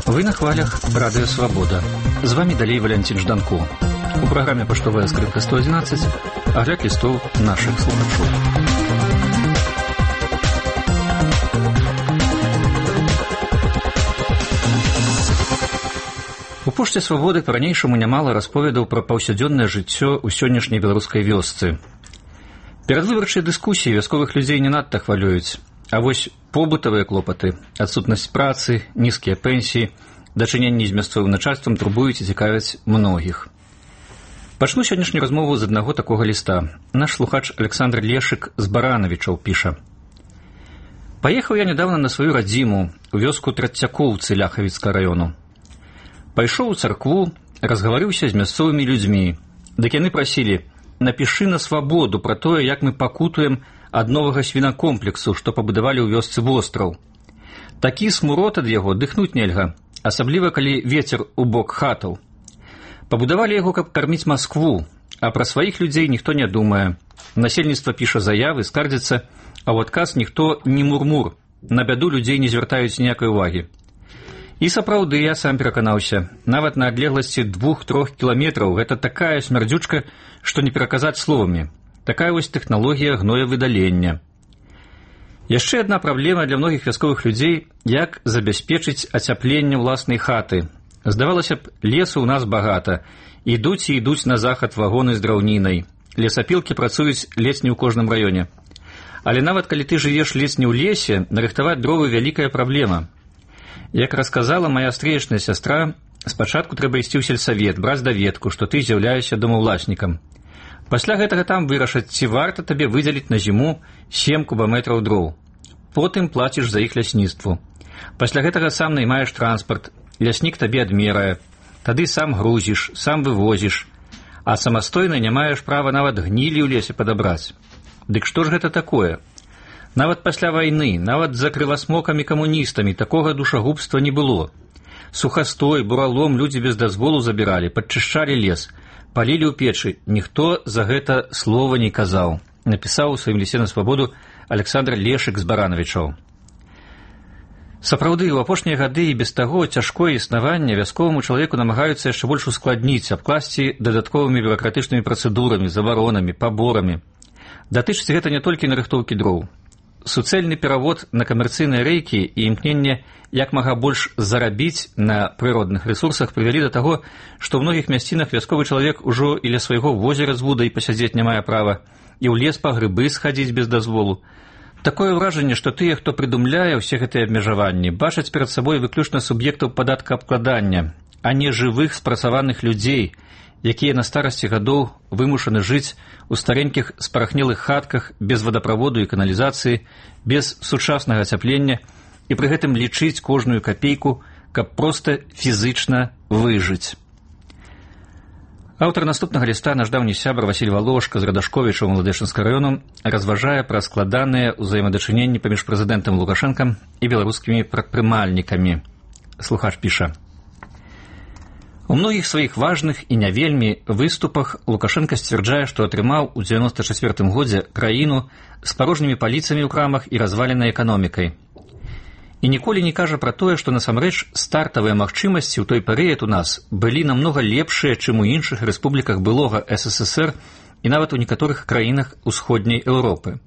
Вы на хвалях Радио Свобода. З вами далей Валентин Жданко. У праграме «Паштовая скрынка 111» агляд лістоў нашых слухачоў. У пошце Свабоды па-ранейшаму нямала расповедаў пра паўсядзённае жыццё ў сённяшняй беларускай вёсцы. Перадвыбарчыя дыскусіі вясковых людзей не надта хвалююць, а вось побытавыя клопаты, адсутнасць працы, нізкія пенсіі, дачыненні з мясцовым начальствам турбуюць і цікавяць многіх. Пачну сённяшнюю размову з аднаго такога ліста. Наш слухач Александр Лешык з Баранавічаў піша. «Паехаў я недавно на сваю радзіму, у вёску Трацякоўцы Ляхавіцкага раёну. Пайшоў у царкву, разгаварыўся з мясцовымі людзьмі. Дык яны прасілі, напішы на Свабоду пра тое, як мы пакутуем ад новага свінакомплексу, што пабудавалі ў вёсцы востраў. Такі смурод ад яго дыхнуць нельга, асабліва калі вецер у бок хатаў. Пабудавалі яго, каб карміць Маскву, а пра сваіх людзей ніхто не думае. Насельніцтва піша заявы, скардзіцца, а ў адказ ніхто не мурмур, на бяду людзей не звяртаюць ніякай увагі. І сапраўды я сам пераканаўся, нават на адлегласці 2-3 кіламетраў гэта такая смярдзючка, што не пераказаць словамі. Такая вось тэхналогія гноевыдалення. Яшчэ адна праблема для многіх вясковых людзей, як забяспечыць ацяпленне ўласнай хаты. Здавалася б, лесу ў нас багата. Ідуць і ідуць на захад вагоны з драўнінай. Лесапілкі працуюць ледзь не ў кожным раёне. Але нават калі ты жывеш ледзь не ў лесе, нарыхтаваць дровы вялікая праблема. Як расказала моя стрэечная сястра, спачатку трэба ісці ў сельсавет, браць даведку, што ты з'яўляешся домаўласнікам. Пасля гэтага там вырашаць, ці варта табе выдзеліць на зіму 7 кубаметраў дроў. Потым плаціш за іх лясніцтву. Пасля гэтага сам наймаеш транспарт, ляснік табе адмерае, тады сам грузіш, сам вывозіш, а самастойна не маеш права нават гнілі ў лесе падабраць. Дык што ж гэта такое? Нават пасля вайны, нават за крывасмокамі-камуністамі такога душагубства не было. Сухастой, буралом людзі без дазволу забіралі, падчышчалі лес, палілі ў печы, ніхто за гэта слова не казаў, напісаў у сваім лісце на Свабоду Александр Лешык з Баранавічаў. Сапраўды, у апошнія гады і без таго цяжкое існаванне вясковаму чалавеку намагаюцца яшчэ больш ускладніць, абкласці дадатковымі бюракратычнымі працэдурамі, забаронамі, паборамі. Датычыць гэта не толькі нарыхтоўкі дроў. Суцэльны перавод на камерцыйныя рэйкі і імкненне як мага больш зарабіць на прыродных рэсурсах прывялі да таго, што ў многіх мясцінах вясковы чалавек ужо і ля свайго возера з вудай пасядзець не мае права, і ў лес па грыбы схадзіць без дазволу. Такое ўражанне, што тыя, хто прыдумляе ўсе гэтыя абмежаванні, бачаць перад сабой выключна суб'ектаў падаткаабкладання, а не жывых спрацаваных людзей, якія на старасці гадоў вымушаны жыць у старенькіх спарахнелых хатках без вадаправоду і каналізацыі, без сучаснага ацяплення і пры гэтым лічыць кожную капейку, каб проста фізычна выжыць. Аўтар наступнага ліста, наш даўні сябар Васіль Валошка з Радашковіча ў Маладэшынскага раёну, разважае пра складаныя ўзаемадачыненні паміж прэзідэнтам Лукашэнкам і беларускімі прадпрымальнікамі. Слухач піша. У многіх сваіх важных і не вельмі выступах Лукашенко сцвярджае, што атрымаў у 94 годзе краіну з парожнімі паліцамі ў крамах і разваленай эканомікай. І ніколі не кажа пра тое, што насамрэч стартавыя магчымасці ў той перыяд у нас былі намнога лепшыя, чым у іншых рэспубліках былога СССР і нават у некаторых краінах усходняй Еўропы.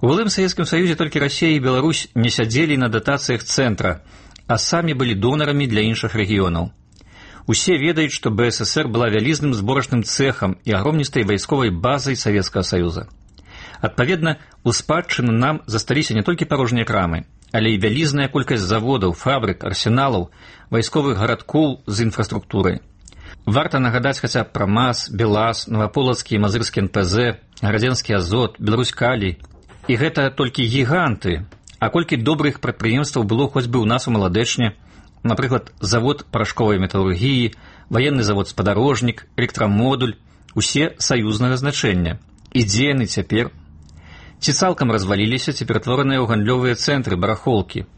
У былым Савецкім Саюзе толькі Расія і Беларусь не сядзелі на датацыях цэнтра, а самі былі донарамі для іншых рэгіёнаў. Усе ведаюць, што БССР была вялізным зборачным цэхам і агромністай вайсковай базай Савецкага Саюза. Адпаведна, у спадчыну нам засталіся не толькі парожнія крамы, але і вялізная колькасць заводаў, фабрык, арсеналаў, вайсковых гарадкоў з інфраструктурай. Варта нагадаць хаця б пра МАЗ, БелАЗ, Новаполацкі і Мазырскі НПЗ, Гарадзенскі Азот, Беларусь Калій. І гэта толькі гіганты, а колькі добрых прадпрыемстваў было хоць бы ў нас у Маладэчне, напрыклад, завод парашковай металургіі, ваенны завод «Спадарожнік», электрамодуль, усе саюзнага значэння. І дзе яны цяпер? Ці цалкам разваліліся, ці ператвораныя ў гандлёвыя цэнтры, барахолкі.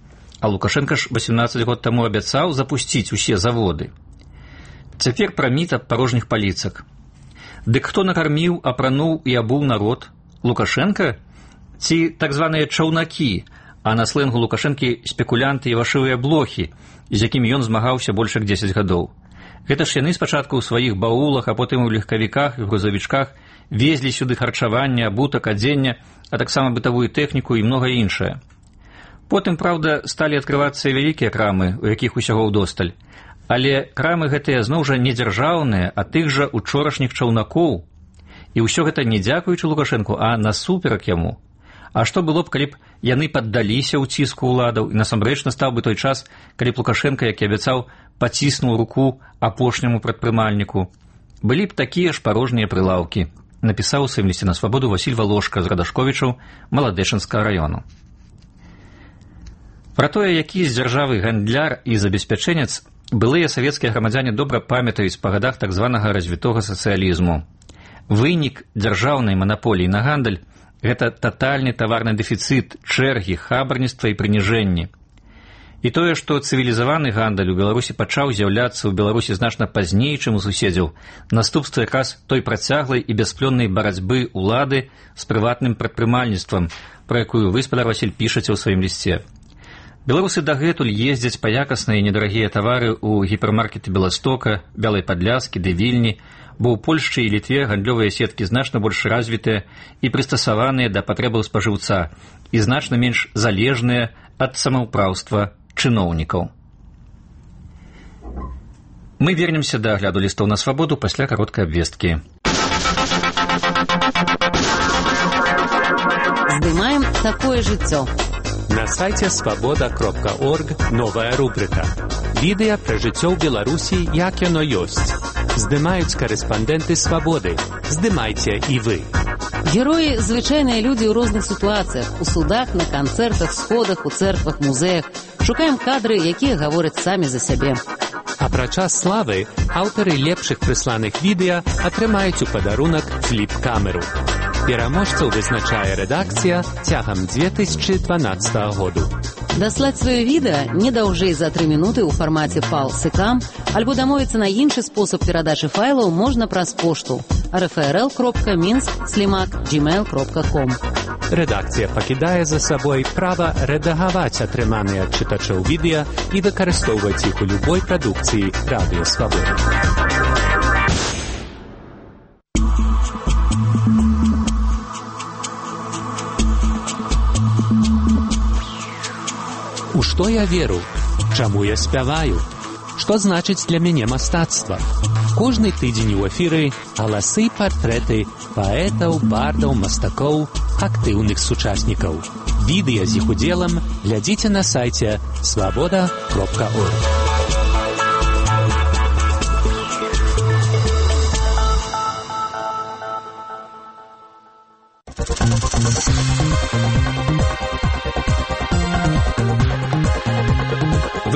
А Лукашенко ж 18 год таму абяцаў запусціць усе заводы. Цяпер пра міт аб парожніх паліцак. Дык хто накарміў, апрануў і абуў народ? Лукашенко? Ці так званыя чаўнакі, а на сленгу Лукашэнкі спекулянты і вашывыя блохі, з якімі ён змагаўся больш як 10 гадоў. Гэта ж яны спачатку ў сваіх баулах, а потым у легкавіках і грузавічках везлі сюды харчаванне, абутак, адзенне, а таксама бытавую тэхніку і многае іншае. Потым, праўда, сталі адкрывацца вялікія крамы, у якіх усяго ўдосталь. Але крамы гэтыя зноў жа не дзяржаўныя, а тых жа учорашніх чаўнакоў. І ўсё гэта не дзякуючы Лукашэнку, а насуперак яму. А што было б, калі б яны паддаліся ў ціску ўладаў, і насамрэч настаў бы той час, калі б Лукашэнка, як і абяцаў, паціснуў руку апошняму прадпрымальніку. Былі б такія ж парожнія прылаўкі, напісаў у сваім лісце на свабоду Васіль Валошка з Радашковічаў Маладэчынскага раёну. Пра тое, які з дзяржавы гандляр і забеспячэнец, былыя савецкія грамадзяне добра памятаюць па гадах так званага развітога сацыялізму. Вынік дзяржаўнай манаполіі на гандаль – гэта татальны таварны дэфіцыт, чэргі, хабарніцтва і прыніжэнні. І тое, што цывілізаваны гандаль у Беларусі пачаў з'яўляцца ў Беларусі значна пазней, чым у суседзяў, наступства якраз той працяглай і бясплённай барацьбы ўлады з прыватным прадпрымальніцтвам, пра якую вы, спадар Васіль, пішаце ў сваім лісце. Беларусы дагэтуль ездзяць па якасныя і недарагія тавары ў гіпермаркеты Беластока, Бялай Падляскі ды Вільні, бо ў Польшчы і Літве гандлёвыя сеткі значна больш развітыя і прыстасаваныя да патрэбаў спажыўца і значна менш залежныя ад самаўпраўства чыноўнікаў. Мы вернемся да агляду лістоў на свабоду пасля кароткай абвесткі. Здымаем такое жыццё. На сайце свабода.орг новая рубрика. Відэа пра жыццё ў Беларусі, як яно ёсць. Здымаюць карэспандэнты свабоды. Здымайце і вы. Героі – звычайныя людзі ў розных сітуацыях, у судах, на канцэртах, сходах, у цэрквах, музеях. Шукаем кадры, якія гавораць самі за сябе. Апрача славы, аўтары лепшых прысланых відэа атрымаюць у падарунак фліп-камеру. Пераможцаў вызначае рэдакцыя цягам 2012 году. Даслаць сваё відэа не даўжэй за 3 мінуты ў фармаце PAL-SYCAM альбо дамовіцца на іншы спосаб перадачы файлаў можна праз пошту rfrl.minsk@gmail.com. Рэдакцыя пакідае за сабой права рэдагаваць атрыманыя ад чытачоў відэа і выкарыстоўваць іх у любой прадукцыі Радыё Свабода. У што я веру? Чаму я спяваю? Што значыць для мяне мастацтва? Кожны тыдзень у эфіры галасы, партрэты паэтаў, бардаў, мастакоў, актыўных сучаснікаў. Відэа з іх удзелам глядзіце на сайце свабода.орг.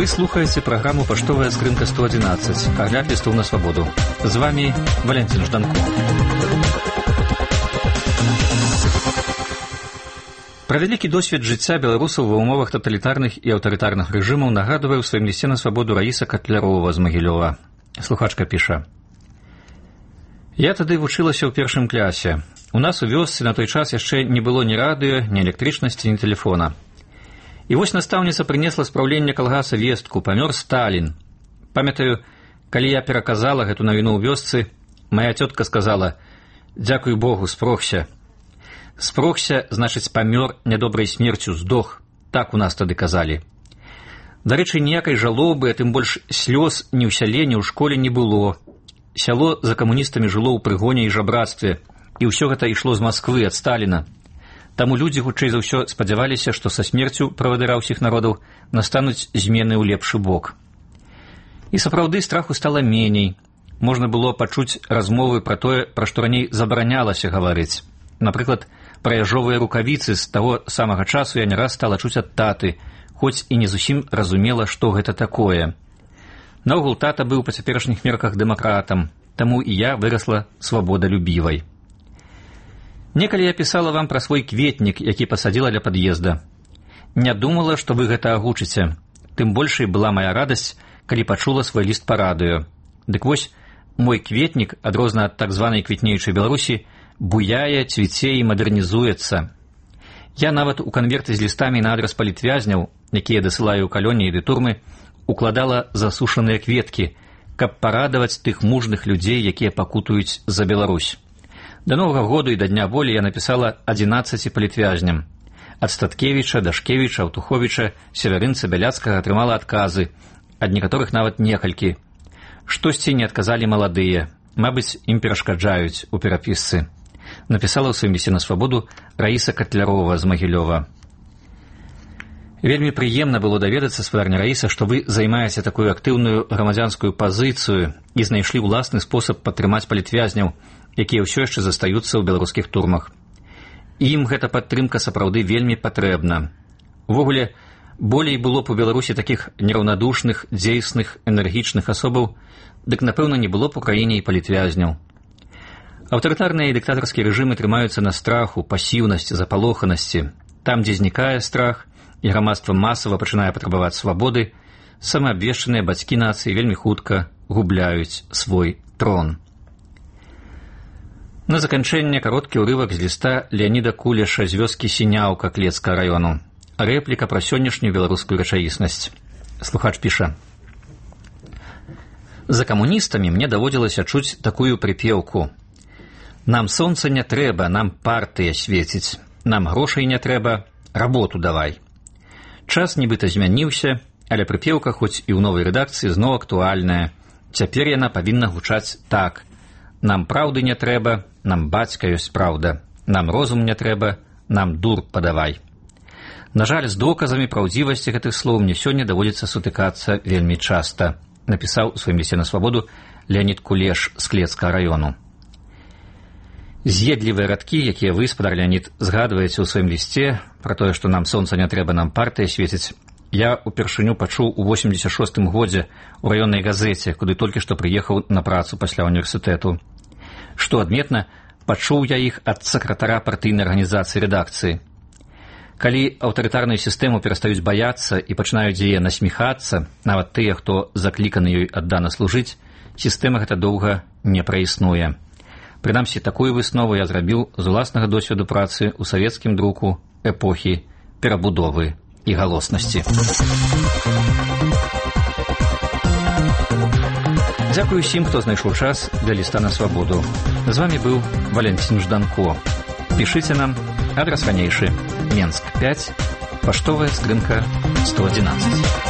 Вы слухаеце праграму «Паштовая скрынка 111», агляд лістоў на свабоду. З вами Валентин Жданко. Пра вялікі досвед жыцця беларусаў ва ўмовах таталітарных і аўтарытарных рэжымаў нагадвае ў сваім лісце на свабоду Раіса Катлярова з Магілёва. Слухачка піша: «Я тады вучылася ў першым клясе. У нас у вёсцы на той час яшчэ не было ні радыё, ні электрычнасці, ні тэлефона. І вось настаўніца прынесла з праўлення калгаса вестку: памёр Сталін. Памятаю, калі я пераказала гэту навіну ў вёсцы, мая цётка сказала: «Дзякуй Богу, спрохся». Спрохся, значыць, памёр нядобрай смерцю, здох. Так у нас тады казалі. Дарэчы, ніякай жалобы, а тым больш слёз ні ў сяле, ні ў школе не было. Сяло за камуністамі жыло ў прыгоне і жабрацтве, і ўсё гэта ішло з Масквы, ад Сталіна. Таму людзі, хутчэй за ўсё, спадзяваліся, што са смерцю правадыра ўсіх народаў настануць змены ў лепшы бок. І сапраўды страху стала меней. Можна было пачуць размовы пра тое, пра што раней забаранялася гаварыць. Напрыклад, пра яжовыя рукавіцы з таго самага часу я не раз стала чуць ад таты, хоць і не зусім разумела, што гэта такое. Наогул, тата быў па цяперашніх мерках дэмакратам, таму і я вырасла свабодалюбівай. Некалі я пісала вам пра свой кветнік, які пасадзіла ля пад'езда. Не думала, што вы гэта агучыце. Тым большай была мая радасць, калі пачула свой ліст па радыё. Дык вось, мой кветнік, адрозна ад так званай квітнеючай Беларусі, буяе, цвіце і мадэрнізуецца. Я нават у канверты з лістамі на адрас палітвязняў, якія дасылаю ў калоніі ды турмы, укладала засушаныя кветкі, каб парадаваць тых мужных людзей, якія пакутуюць за Беларусь. Да Новага году і да Дня волі я напісала 11 палітвязням. Ад Статкевіча, Дашкевіча, Аўтуховіча, Северынца, Бяляцкага атрымала адказы, ад некаторых нават некалькі. Штосьці не адказалі маладыя, мабыць, ім перашкаджаюць у перапісцы. Напісала ў сваім лісце на свабоду Раіса Катлярова з Магілёва. Вельмі прыемна было даведацца, спадарня Раіса, што вы займаеце такую актыўную грамадзянскую пазіцыю і знайшлі ўласны спосаб падтрымаць палітвязняў, якія ўсё яшчэ застаюцца ў беларускіх турмах. Ім гэта падтрымка сапраўды вельмі патрэбна. Увогуле, болей было б у Беларусі такіх нераўнадушных, дзейсных, энергічных асобаў, дык, напэўна, не было б у краіне і палітвязняў. Аўтарытарныя і дыктатарскія рэжымы трымаюцца на страху, пасіўнасці, запалоханасці. Там, дзе знікае страх, і грамадства масава пачынае патрабаваць свабоды, самаабвешчаныя бацькі нацыі вельмі хутка губляюць свой трон. На заканчэнне кароткі ўрывак з ліста Леаніда Кулеша з вёскі Сіняўка Клецкага раёну. Рэпліка пра сённяшнюю беларускую рэчаіснасць. Слухач піша: «За камуністамі мне даводзілася чуць такую прыпеўку: нам сонца не трэба, нам партыя свеціць, нам грошай не трэба, работу давай». Час нібыта змяніўся, але прыпеўка, хоць і ў новай рэдакцыі, зноў актуальная. Цяпер яна павінна гучаць так: нам праўды не трэба, нам бацька ёсць праўда, нам розум не трэба, нам дур падавай. На жаль, з доказамі праўдзівасці гэтых слоў мне сёння даводзіцца сутыкацца вельмі часта, напісаў у сваім лісце на свабоду Леанід Кулеш з Клецкага раёну. З'едлівыя радкі, якія вы, спадар Леанід, згадваеце ў сваім лісце пра тое, што нам сонца не трэба, нам партыя свеціць, я упершыню пачуў у 86-м годзе ў раённай газеце, куды толькі што прыехаў на працу пасля універсітэту. Што адметна, пачуў я іх ад сакратара партыйнай арганізацыі рэдакцыі. Калі аўтарытарную сістэму перастаюць баяцца і пачынаюць яе насміхацца, нават тыя, хто закліканы ёй аддана служыць, сістэма гэта доўга не праіснуе. Прынамсі, такую выснову я зрабіў з уласнага досведу працы ў савецкім друку эпохі перабудовы і галоснасці. Дзякую усім, хто знайшоў час для ліста на свабоду. З вамі быў Валентин Жданко. Пішыце нам, адрас ранейшы: Менск 5, паштовая скрынка 111.